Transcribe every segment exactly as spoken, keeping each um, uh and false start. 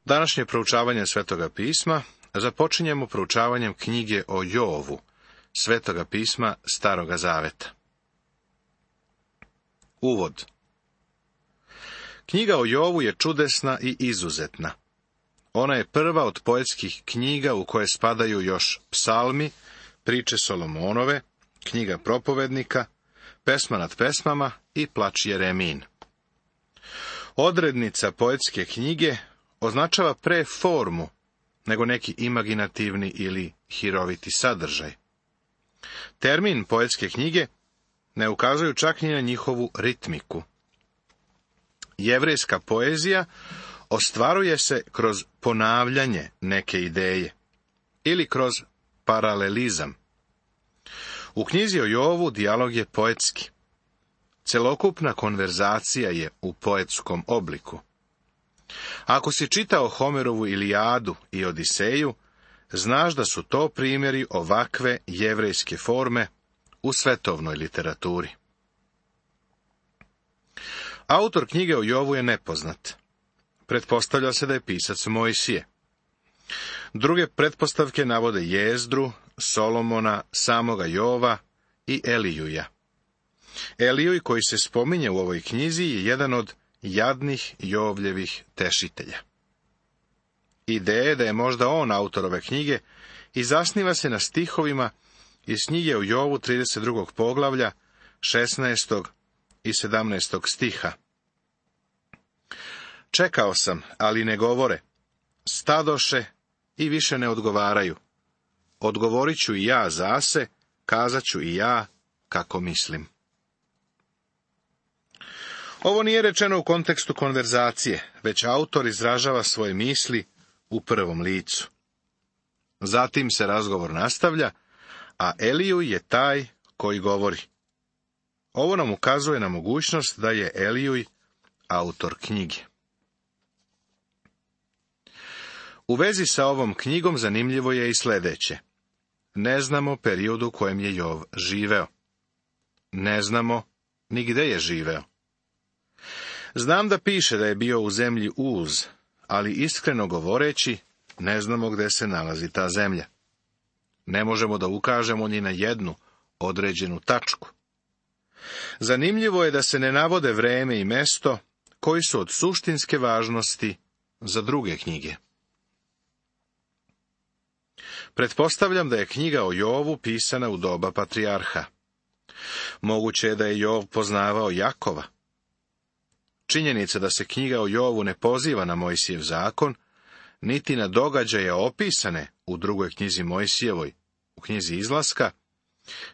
Današnje proučavanje Svetoga pisma započinjemo proučavanjem knjige o Jovu, Svetoga pisma Staroga zaveta. Uvod. Knjiga o Jovu je čudesna i izuzetna. Ona je prva od poetskih knjiga u koje spadaju još psalmi, priče Solomonove, knjiga propovednika, pesma nad pesmama i plač Jeremin. Odrednica poetske knjige označava pre formu nego neki imaginativni ili hiroviti sadržaj. Termin poetske knjige ne ukazuju čak ni na njihovu ritmiku. Jevrejska poezija ostvaruje se kroz ponavljanje neke ideje ili kroz paralelizam. U knjizi o Jovu dijalog je poetski. Celokupna konverzacija je u poetskom obliku. Ako si čitao Homerovu Ilijadu i Odiseju, znaš da su to primjeri ovakve jevrejske forme u svetovnoj literaturi. Autor knjige o Jovu je nepoznat. Pretpostavlja se da je pisac Mojsije. Druge pretpostavke navode Jezdru, Solomona, samoga Jova i Elijuja. Elijuj, koji se spominje u ovoj knjizi, je jedan od jadnih Jovljevih tešitelja. Ideja da je možda on autor ove knjige i zasniva se na stihovima iz knjige o Jovu trideset drugog poglavlja, šesnaestog i sedamnaestog stiha. Čekao sam, ali ne govore. Stadoše i više ne odgovaraju. Odgovorit ću i ja zase, kazat ću i ja kako mislim. Ovo nije rečeno u kontekstu konverzacije, već autor izražava svoje misli u prvom licu. Zatim se razgovor nastavlja, a Elijuj je taj koji govori. Ovo nam ukazuje na mogućnost da je Elijuj autor knjige. U vezi sa ovom knjigom zanimljivo je i sljedeće. Ne znamo periodu u kojem je Jov živeo. Ne znamo ni gde je živeo. Znam da piše da je bio u zemlji Uz, ali iskreno govoreći, ne znamo gde se nalazi ta zemlja. Ne možemo da ukažemo ni na jednu određenu tačku. Zanimljivo je da se ne navode vreme i mesto koji su od suštinske važnosti za druge knjige. Pretpostavljam da je knjiga o Jovu pisana u doba patrijarha. Moguće je da je Jov poznavao Jakova. Činjenica da se knjiga o Jovu ne poziva na Mojsijev zakon, niti na događaje opisane u drugoj knjizi Mojsijevoj, u knjizi Izlaska,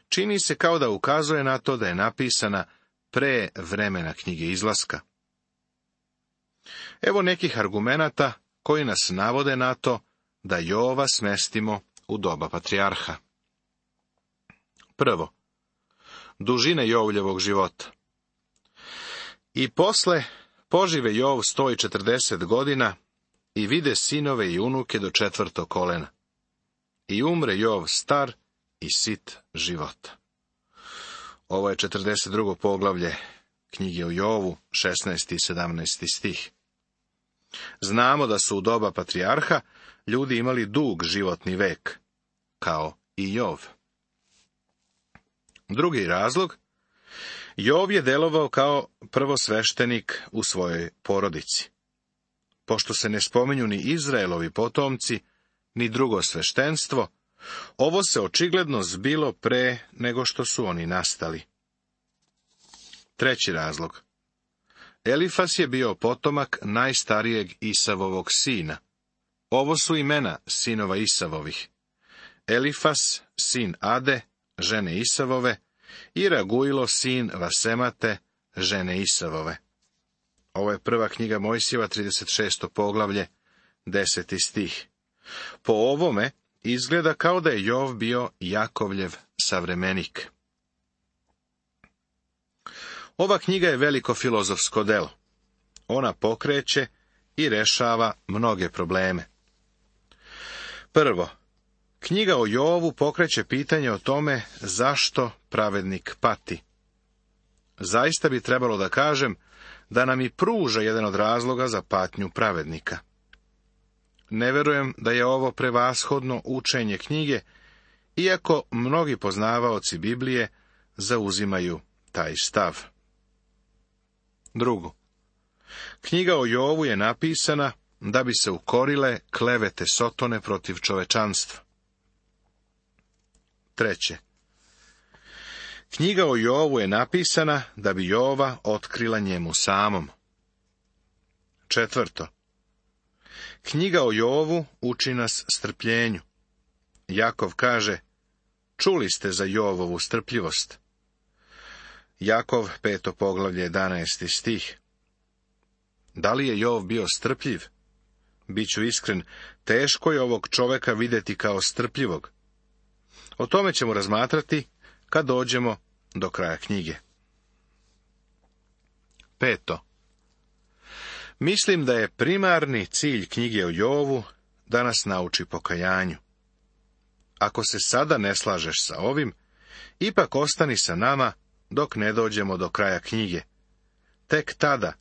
čini se kao da ukazuje na to da je napisana pre vremena knjige Izlaska. Evo nekih argumenata koji nas navode na to da Jova smestimo u doba patrijarha. Prvo, dužine Jovljevog života. I posle požive Jov sto četrdeset godina i vide sinove i unuke do četvrtog kolena. I umre Jov star i sit života. Ovo je četrdeset drugo poglavlje knjige o Jovu, šesnaesti i sedamnaesti stih. Znamo da su u doba patrijarha ljudi imali dug životni vek, kao i Jov. Drugi razlog, Jov je delovao kao prvosveštenik u svojoj porodici. Pošto se ne spominju ni Izraelovi potomci, ni drugo sveštenstvo, ovo se očigledno zbilo pre nego što su oni nastali. Treći razlog. Elifas je bio potomak najstarijeg Isavovog sina. Ovo su imena sinova Isavovih. Elifas, sin Ade, žene Isavove, i Raguilo, sin Vasemate, žene Isavove. Ovo je prva knjiga Mojsijeva, trideset šesto poglavlje, deseti stih. Po ovome izgleda kao da je Jov bio Jakovljev savremenik. Ova knjiga je veliko filozofsko delo. Ona pokreće i rešava mnoge probleme. Prvo, knjiga o Jovu pokreće pitanje o tome zašto pravednik pati. Zaista bi trebalo da kažem da nam i pruža jedan od razloga za patnju pravednika. ne verujem da je ovo prevashodno učenje knjige, iako mnogi poznavaoci Biblije zauzimaju taj stav. Drugo, knjiga o Jovu je napisana da bi se ukorile klevete Sotone protiv čovečanstva. Treće, knjiga o Jovu je napisana da bi Jova otkrila njemu samom. Četvrto, knjiga o Jovu uči nas strpljenju. Jakov kaže, čuli ste za Jovovu strpljivost. Jakov, peto poglavlje, jedanaesti stih. Da li je Jov bio strpljiv? Biću iskren, teško je ovog čoveka vidjeti kao strpljivog. O tome ćemo razmatrati kad dođemo do kraja knjige. Peto. Mislim da je primarni cilj knjige o Jovu da nas nauči pokajanju. Ako se sada ne slažeš sa ovim, ipak ostani sa nama dok ne dođemo do kraja knjige. Tek tada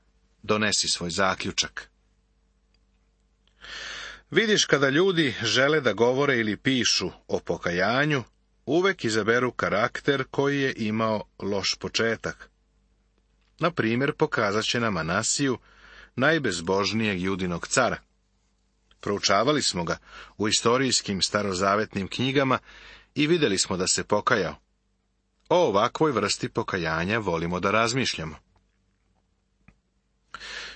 donesi svoj zaključak. Vidiš, kada ljudi žele da govore ili pišu o pokajanju, uvek izaberu karakter koji je imao loš početak. Na primjer, pokazat će nam Manasiju, najbezbožnijeg Judinog cara. Proučavali smo ga u istorijskim starozavetnim knjigama i vidjeli smo da se pokajao. O ovakvoj vrsti pokajanja volimo da razmišljamo.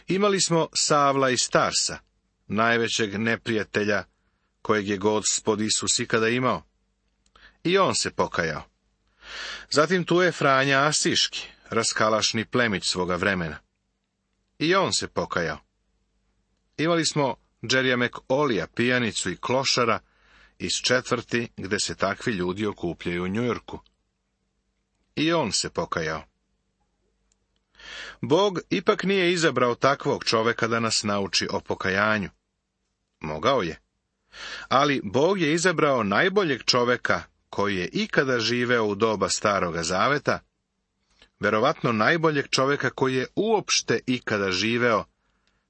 Imali smo Savla iz Tarsa, najvećeg neprijatelja kojeg je Gospod Isus ikada imao. I on se pokajao. Zatim tu je Franja Asiški, raskalašni plemić svoga vremena. I on se pokajao. Imali smo Džerija Olija, pijanicu i klošara iz četvrti gde se takvi ljudi okupljaju u Njujorku. I on se pokajao. Bog ipak nije izabrao takvog čoveka da nas nauči o pokajanju. Mogao je. Ali Bog je izabrao najboljeg čoveka koji je ikada živeo u doba Staroga Zaveta, verovatno najboljeg čoveka koji je uopšte ikada živeo,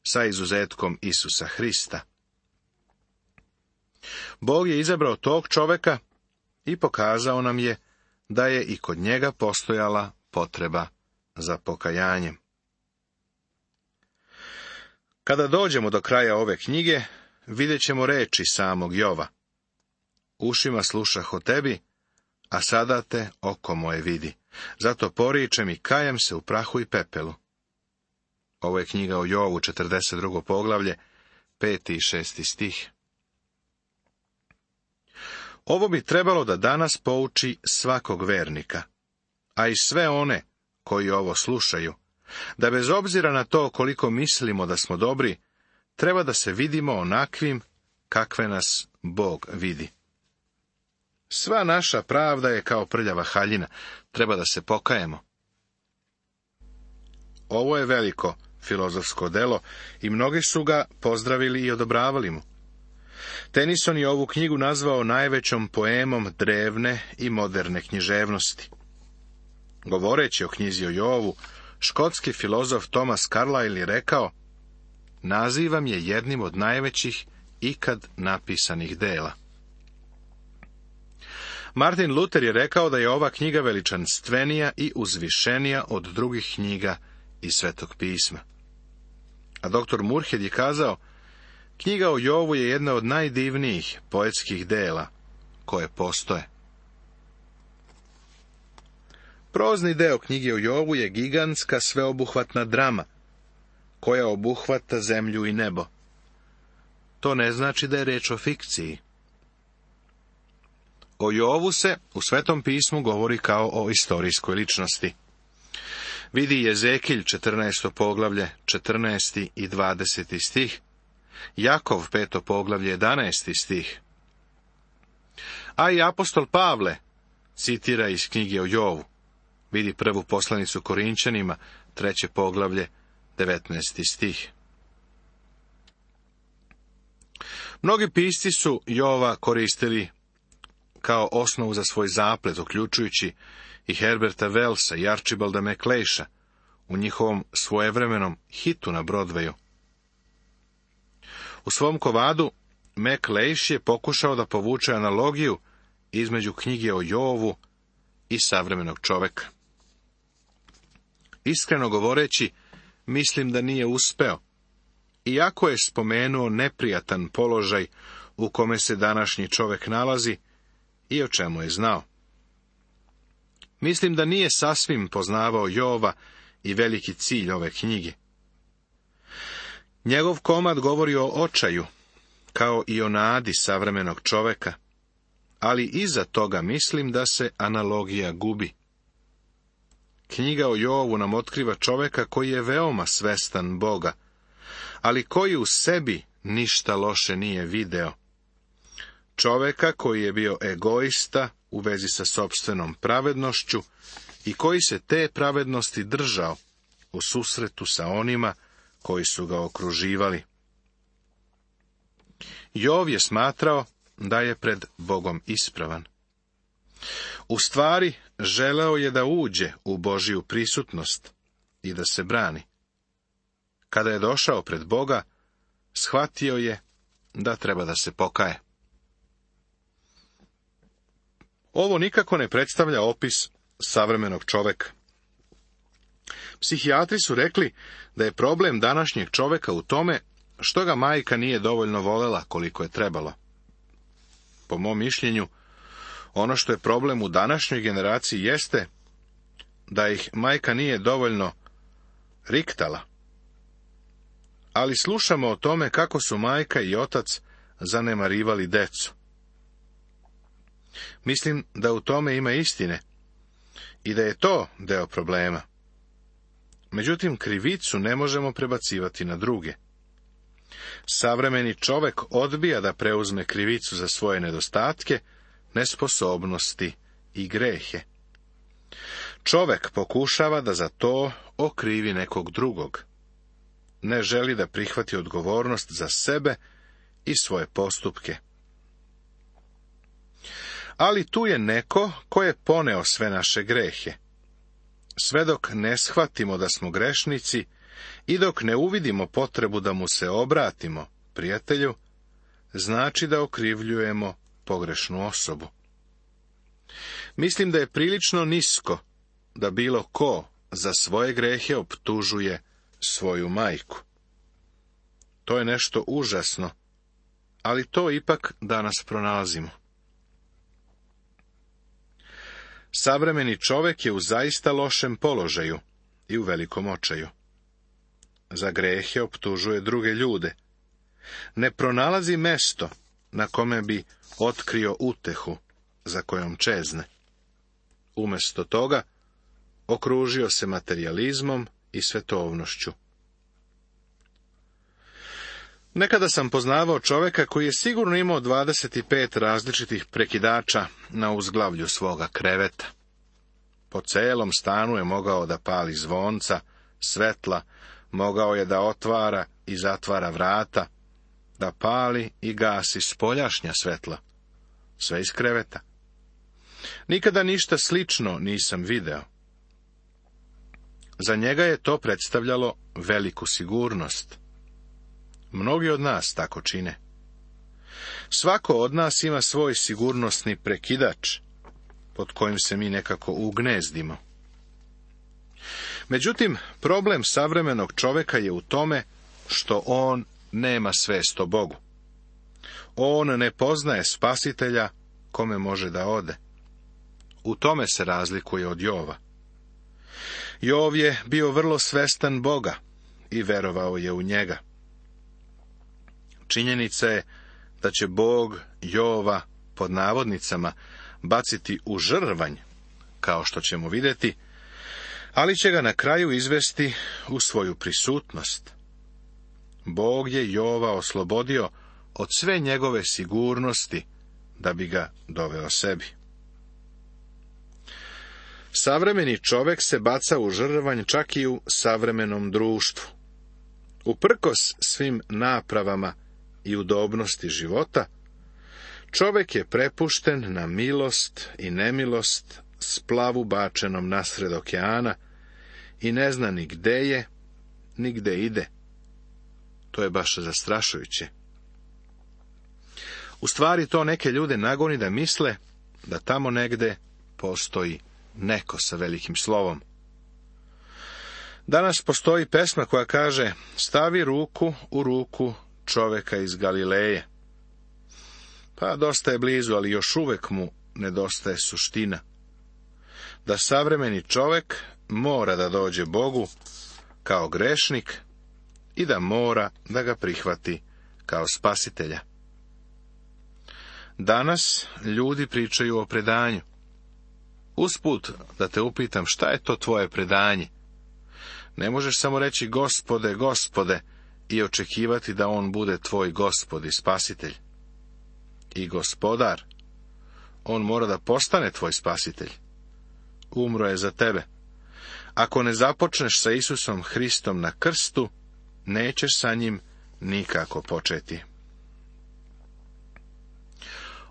sa izuzetkom Isusa Hrista. Bog je izabrao tog čoveka i pokazao nam je da je i kod njega postojala potreba za pokajanjem. Kada dođemo do kraja ove knjige, vidjet ćemo reči samog Jova. Ušima slušah o tebi, a sada te oko moje vidi. Zato poričem i kajem se u prahu i pepelu. Ovo je knjiga o Jovu, četrdeset drugo poglavlje, peti i šesti stih. Ovo bi trebalo da danas pouči svakog vernika, a i sve one koji ovo slušaju, da bez obzira na to koliko mislimo da smo dobri, treba da se vidimo onakvim kakve nas Bog vidi. Sva naša pravda je kao prljava haljina, treba da se pokajemo. Ovo je veliko filozofsko delo i mnogi su ga pozdravili i odobravali mu. Tennyson je ovu knjigu nazvao najvećom poemom drevne i moderne književnosti. Govoreći o knjizi o Jovu, škotski filozof Thomas Carlyle je rekao, nazivam je jednim od najvećih ikad napisanih dela. Martin Luther je rekao da je ova knjiga veličanstvenija i uzvišenija od drugih knjiga iz Svetog pisma. A doktor Murhed je kazao, knjiga o Jovu je jedna od najdivnijih poetskih dela koje postoje. Prozni deo knjige o Jovu je gigantska sveobuhvatna drama, koja obuhvata zemlju i nebo. To ne znači da je reč o fikciji. O Jovu se u Svetom pismu govori kao o istorijskoj ličnosti. Vidi Jezekilj, četrnaesto poglavlje, četrnaesti i dvadeseti stih, Jakov, peto poglavlje, jedanaesti stih. A i apostol Pavle citira iz knjige o Jovu. Vidi prvu poslanicu Korinćanima, treće poglavlje, devetnaesti stih. Mnogi pisci su Jova koristili kao osnovu za svoj zaplet, uključujući i Herberta Wellsa i Archibalda MacLeisha u njihovom svojevremenom hitu na Broadwayu. U svom kovadu Mac Leish je pokušao da povuče analogiju između knjige o Jovu i savremenog čoveka. Iskreno govoreći, mislim da nije uspeo, iako je spomenuo neprijatan položaj u kome se današnji čovek nalazi i o čemu je znao. Mislim da nije sasvim poznavao Jova i veliki cilj ove knjige. Njegov komad govori o očaju, kao i o nadi savremenog čoveka, ali iza toga mislim da se analogija gubi. Knjiga o Jovu nam otkriva čoveka koji je veoma svestan Boga, ali koji u sebi ništa loše nije video. Čoveka koji je bio egoista u vezi sa sopstvenom pravednošću i koji se te pravednosti držao u susretu sa onima koji su ga okruživali. Jov je smatrao da je pred Bogom ispravan. U stvari, želeo je da uđe u Božiju prisutnost i da se brani. Kada je došao pred Boga, shvatio je da treba da se pokaje. Ovo nikako ne predstavlja opis savremenog čoveka. Psihijatri su rekli da je problem današnjeg čoveka u tome što ga majka nije dovoljno volela koliko je trebalo. Po mom mišljenju, ono što je problem u današnjoj generaciji jeste da ih majka nije dovoljno riktala. Ali slušamo o tome kako su majka i otac zanemarivali decu. Mislim da u tome ima istine i da je to deo problema. Međutim, krivicu ne možemo prebacivati na druge. Savremeni čovek odbija da preuzme krivicu za svoje nedostatke, nesposobnosti i grehe. Čovek pokušava da za to okrivi nekog drugog. Ne želi da prihvati odgovornost za sebe i svoje postupke. Ali tu je neko ko je poneo sve naše grehe. Sve dok ne shvatimo da smo grešnici i dok ne uvidimo potrebu da mu se obratimo, prijatelju, znači da okrivljujemo pogrešnu osobu. Mislim da je prilično nisko da bilo ko za svoje grehe optužuje svoju majku. To je nešto užasno, ali to ipak danas pronalazimo. Savremeni čovek je u zaista lošem položaju i u velikom očaju. Za grehe optužuje druge ljude. Ne pronalazi mesto na kome bi otkrio utehu za kojom čezne. Umesto toga, okružio se materijalizmom i svetovnošću. Nekada sam poznavao čoveka koji je sigurno imao dvadeset pet različitih prekidača na uzglavlju svoga kreveta. Po celom stanu je mogao da pali zvonca, svetla, mogao je da otvara i zatvara vrata, da pali i gasi spoljašnja svetla, sve iz kreveta. Nikada ništa slično nisam video. Za njega je to predstavljalo veliku sigurnost. Mnogi od nas tako čine. Svako od nas ima svoj sigurnosni prekidač, pod kojim se mi nekako ugnezdimo. Međutim, problem savremenog čoveka je u tome što on nema svest o Bogu. On ne poznaje spasitelja kome može da ode. U tome se razlikuje od Jova. Jov je bio vrlo svestan Boga i verovao je u njega. Činjenica je da će Bog Jova, pod navodnicama, baciti u žrvanj, kao što ćemo vidjeti, ali će ga na kraju izvesti u svoju prisutnost. Bog je Jova oslobodio od sve njegove sigurnosti da bi ga doveo sebi. Savremeni čovek se baca u žrvanj čak i u savremenom društvu. Uprkos svim napravama i udobnosti života, čovek je prepušten na milost i nemilost splavu bačenom nasred okeana i ne zna ni gde je, ni gde ide. To je baš zastrašujuće. U stvari to neke ljude nagoni da misle da tamo negde postoji neko sa velikim slovom. Danas postoji pesma koja kaže: stavi ruku u ruku čoveka iz Galileje. Pa dosta je blizu, ali još uvek mu nedostaje suština. Da savremeni čovek mora da dođe Bogu kao grešnik i da mora da ga prihvati kao spasitelja. Danas ljudi pričaju o predanju. Usput da te upitam, šta je to tvoje predanje? Ne možeš samo reći Gospode, Gospode i očekivati da on bude tvoj Gospod i spasitelj. I gospodar. On mora da postane tvoj spasitelj. Umro je za tebe. Ako ne započneš sa Isusom Hristom na krstu, nećeš sa njim nikako početi.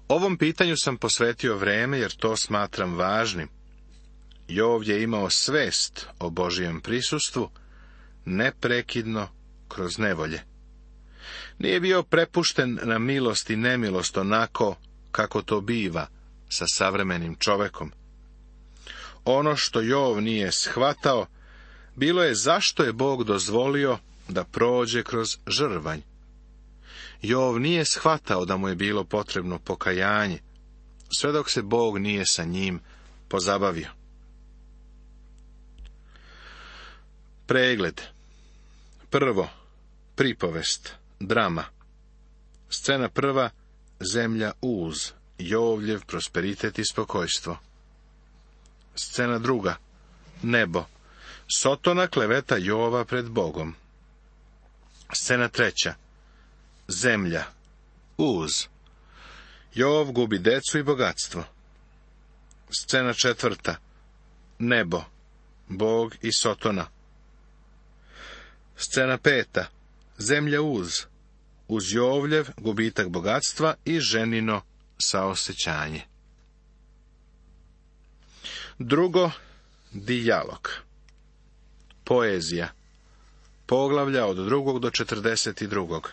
Ovom pitanju sam posvetio vreme, jer to smatram važnim. Jov je imao svest o Božijem prisustvu, neprekidno kroz nevolje. Nije bio prepušten na milost i nemilost onako kako to biva sa savremenim čovekom. Ono što Jov nije shvatao, bilo je zašto je Bog dozvolio da prođe kroz žrvanj. Jov nije shvatao da mu je bilo potrebno pokajanje, sve dok se Bog nije sa njim pozabavio. Pregled. Prvo, pripovest, drama. Scena prva, zemlja Uz, Jovljev prosperitet i spokojstvo. Scena druga, nebo, Sotona kleveta Jova pred Bogom. Scena treća, zemlja, Uz, Jov gubi decu i bogatstvo. Scena četvrta, nebo, Bog i Sotona. Scena peta, zemlja Uz, uz Jovljev gubitak bogatstva i ženino saosećanje. Drugo, dijalog. Poezija. Poglavlja od drugog do četrdeset drugog.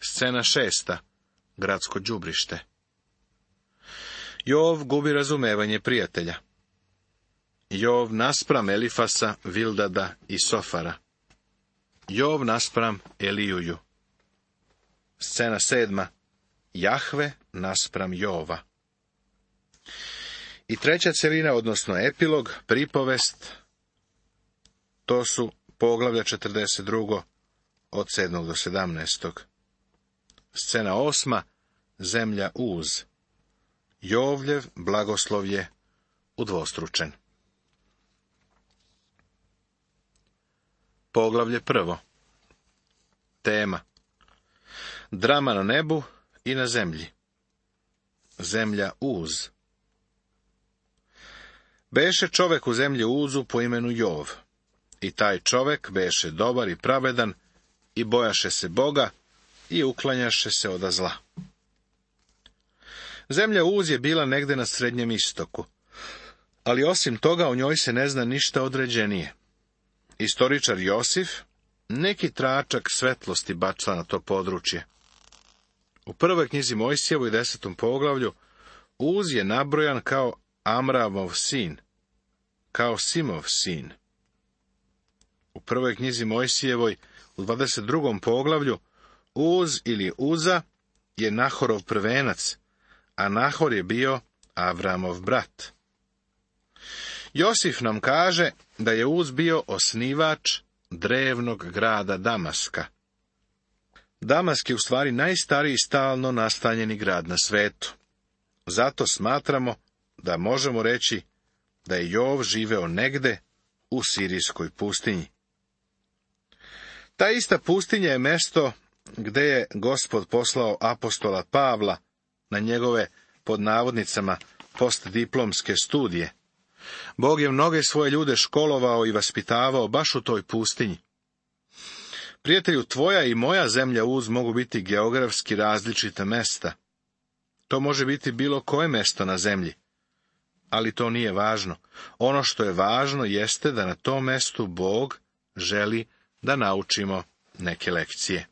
Scena šesta, gradsko đubrište. Jov gubi razumevanje prijatelja. Jov naspram Elifasa, Vildada i Sofara. Jov naspram Elijuju. Scena sedma, Jahve naspram Jova. I treća celina, odnosno epilog, pripovest, to su poglavlja četrdeset drugo od sedmog do sedamnaestog. Scena osma, zemlja Uz. Jovljev blagoslov je udvostručen. Poglavlje prvo. Tema. Drama na nebu i na zemlji. Zemlja Uz. Beše čovek u zemlji Uzu po imenu Jov. I taj čovek beše dobar i pravedan i bojaše se Boga i uklanjaše se oda zla. Zemlja Uz je bila negde na Srednjem istoku, ali osim toga o njoj se ne zna ništa određenije. Istoričar Josif neki tračak svetlosti baca na to područje. U prvoj knjizi Mojsijevoj desetom poglavlju Uz je nabrojan kao Amramov sin, kao Simov sin. U prvoj knjizi Mojsijevoj u dvadeset drugom poglavlju Uz ili Uza je Nahorov prvenac, a Nahor je bio Avramov brat. Josif nam kaže da je Uz bio osnivač drevnog grada Damaska. Damask je u stvari najstariji stalno nastanjeni grad na svetu. Zato smatramo da možemo reći da je Jov živeo negde u sirijskoj pustinji. Ta ista pustinja je mesto gde je Gospod poslao apostola Pavla na njegove, pod navodnicama, postdiplomske studije. Bog je mnoge svoje ljude školovao i vaspitavao baš u toj pustinji. Prijatelju, tvoja i moja zemlja Uz mogu biti geografski različita mesta. To može biti bilo koje mesto na zemlji. Ali to nije važno. Ono što je važno jeste da na tom mestu Bog želi da naučimo neke lekcije.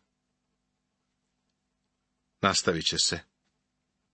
Nastavit će se.